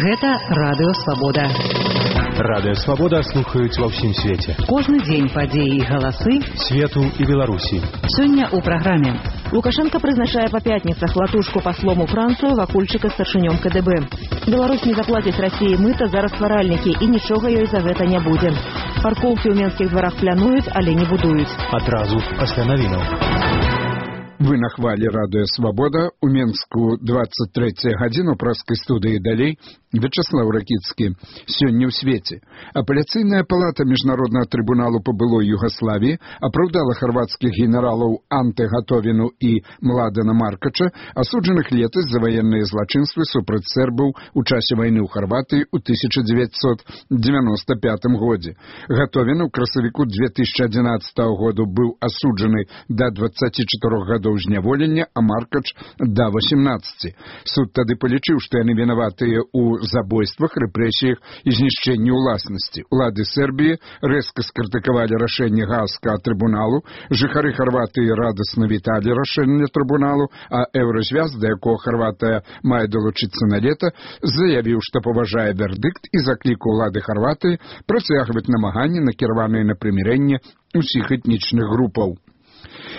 Гэта Радыё Свабода. Радыё Свабода слухаюць ва ўсім свеце. Кожны дзень падзеі і галасы свету і Беларусі. Сёння ў праграме. Лукашенко прызначае па пятніцах Латушку паслом у Францыю, Вакульчыка старшынём КДБ. Беларусь не заплаціць Расіі мыта за растваральнікі і нічога ёй за гэта не будзе. Паркоўкі ў менскіх дварах плануюць, але не будуюць. Адразу пасля навінаў. Вы на хвале Радыё Свабода. У Менску 23 гадзіну праскай студыі далей. Вячеслав Ракіцкі. Сёння ў свеце. Апеляцыйная палата Міжнароднага трыбуналу па былой Югаславіі апраўдала харвацкіх генералаў Анте Гатовіну і Младена Маркача, асуджаных летась за ваенныя злачынствы супраць сербаў у часе вайны ў Харватыі ў 1995 годзе. Гатовін у красавіку 2011 году быў асуджаны да 24 гадоў зняволення, а Маркач да 18. Суд тады палічыў, што яны вінаватыя ў забойствах, рэпрэсіях і знішчэнні ўласнасці. Улады Сербіі рэзка скрытыкавалі рашэнне Гаагскага трыбуналу, жыхары Харватыі радасна віталі рашэнне трыбуналу, а Еўразвяз, да якога Харватыя мае далучыцца на лета, заявіў, што паважае вердыкт і заклікаў улады Харватыі працягваць намаганні, накіраваныя на прымірэнне ўсіх этнічных групаў.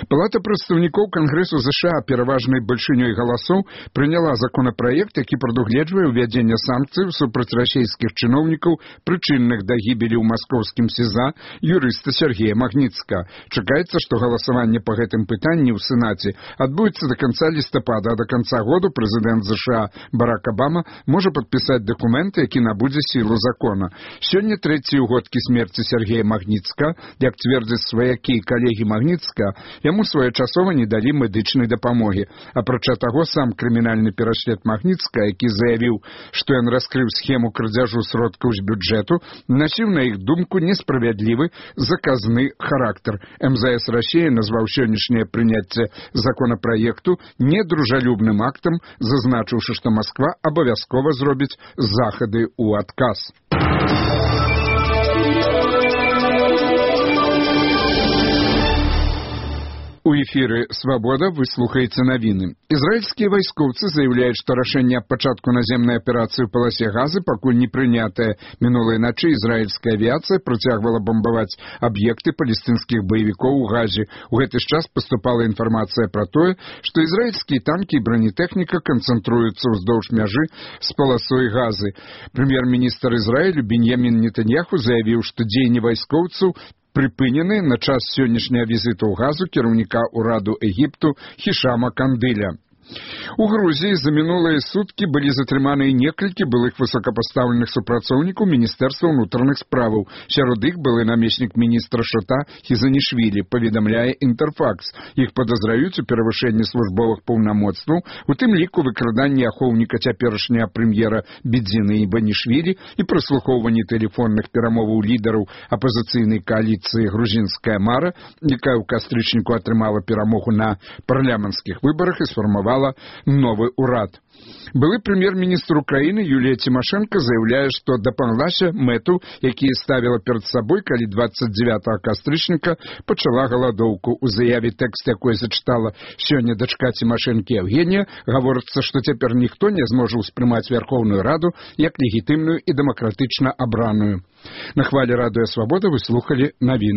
Палата прадстаўнікоў Кангрэсу США пераважнай бальшынёй галасоў прыняла законапраект, які прадугледжвае ўвядзенне санкцыяў супраць расійскіх чыноўнікаў, прычынных да гібелі ў маскоўскім СІЗА юрыста Сергея Магніцкага. Чакаецца, што галасаванне па гэтым пытанні ў Сенаце адбудзецца да канца лістапада, а да канца году прэзідэнт США Барак Абама можа падпісаць дакумент, які набудзе сілу закона. Сёння трэці ўгодкі смерці Сергея Магніцкага, як цвердзяць сваякі і калегі Магніцкага, яму своечасова не далі медычнай дапамогі. Апрача таго, сам крымінальны пераслед Магніцкага, які заявіў, што ён раскрыў схему крадзяжу сродкаў з бюджэту, насіў на іх думку несправядлівы заказны характар. МЗС Расіі назваў сённяшняе прыняцце законапраекту недружалюбным актам, зазначыўшы, што Масква абавязкова зробіць захады ў адказ. У эфіры «Свабода» вы слухаеце навіны. Ізраільскія вайскоўцы заяўляюць, што рашэнне аб пачатку наземнай аперацыі ў паласе Газы пакуль не прынятае. Мінулай начы ізраільская авіяцыя працягвала бамбаваць аб'екты палестынскіх баевікоў у Газе. У гэты ж час паступала інфармацыя пра тое, што ізраільскія танкі і бронетэхніка канцэнтруюцца ўздоўж мяжы з паласой Газы. Прэм'ер-міністр Ізраілю Беньямін Нетаньяху заявіў, што дзеянні вайскоўцаў прыпынены на час сённяшняга візіту ў Газу кіраўніка ўраду Егіпту Хішама Кандыля. У Грузіі за мінулыя суткі былі затрыманыя некалькі былых высокапастаўленых супрацоўнікаў Міністэрства ўнутраных справаў. Сярод іх былы намеснік міністра ШОТА Хізанішвілі, паведамляе Інтэрфакс. Іх падазраюць у перавышэнні службовых паўнамоцтваў, у тым ліку выкраданні ахоўніка цяперашняга прэм'ера Бедзіны Іванішвілі і праслухоўванні тэлефонных перамоваў лідараў апазіцыйнай кааліцыі «Грузінская мара», якая ў кастрычніку атрымала перамогу на парламенцкіх выбарах і сфармавала новы ўрад. Былы прэм'ер-міністр Украіны Юлія Цімашэнка заяўляе, што дапамаглася мэту, якія ставіла перад сабой, калі 29 кастрычніка пачала галадоўку. У заяве тэкст, якой зачытала сёння дачка Цімашэнкі Евгенія, гаворыцца, што цяпер ніхто не зможа ўспрымаць Вярхоўную Раду як легітымную і дэмакратычна абраную. На хвале Радыё Свабода вы слухалі навіны.